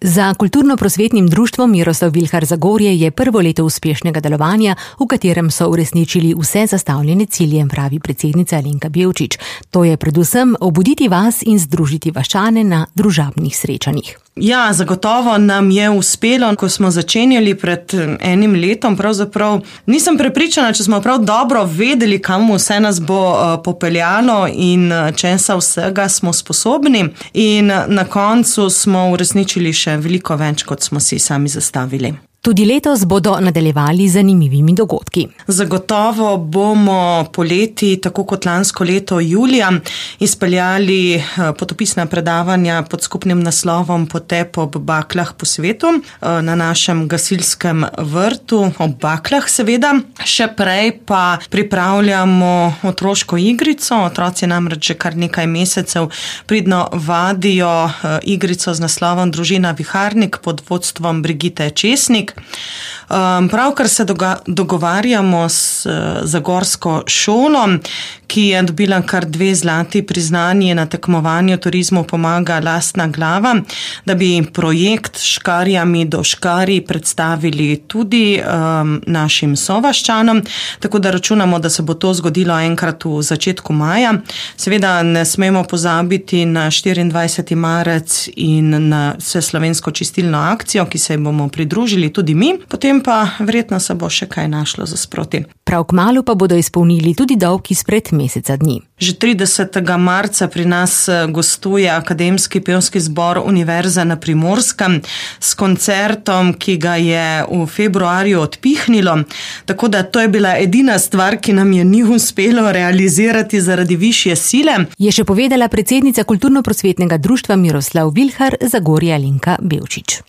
Za kulturno-prosvetnim društvom Miroslav Vilhar Zagorje je prvo leto uspešnega delovanja, v katerem so uresničili vse zastavljene cilje, pravi predsednica Alenka Bevčič. To je predvsem obuditi vas in združiti vaščane na družabnih srečanjih. Ja, zagotovo nam je uspelo, ko smo začenjali pred enim letom, pravzaprav nisem prepričana, če smo prav dobro vedeli, kam vse nas bo popeljalo in česa vsega smo sposobni, in na koncu smo uresničili še veliko več, kot smo si sami zastavili. Tudi letos bodo nadaljevali z zanimivimi dogodki. Zagotovo bomo poleti, tako kot lansko leto julija, izpeljali potopisna predavanja pod skupnim naslovom Potep ob baklah po svetu na našem gasilskem vrtu, ob baklah seveda. Še prej pa pripravljamo otroško igrico. Otroci namreč že kar nekaj mesecev pridno vadijo igrico z naslovom Družina Viharnik pod vodstvom Brigite Česnik. Pravkar se dogovarjamo s zagorsko šolo, ki je dobila kar 2 zlati priznanji na tekmovanju Turizmu pomaga lastna glava, da bi projekt Škarjami do škarij predstavili tudi našim sovaščanom, tako da računamo, da se bo to zgodilo enkrat v začetku maja. Seveda ne smemo pozabiti na 24. marec in na vseslovensko čistilno akcijo, ki se bomo pridružili tudi mi, potem pa verjetno se bo še kaj našlo za sproti. Prav kmalu pa bodo izpolnili tudi dolg izpred meseca dni. Že 30. marca pri nas gostuje Akademski pevski zbor Univerze na Primorskem s koncertom, ki ga je v februarju odpihnilo, tako da to je bila edina stvar, ki nam je ni uspelo realizirati zaradi višje sile. Je še povedala predsednica kulturno-prosvetnega društva Miroslav Vilhar Zagorje Alenka Bevčič.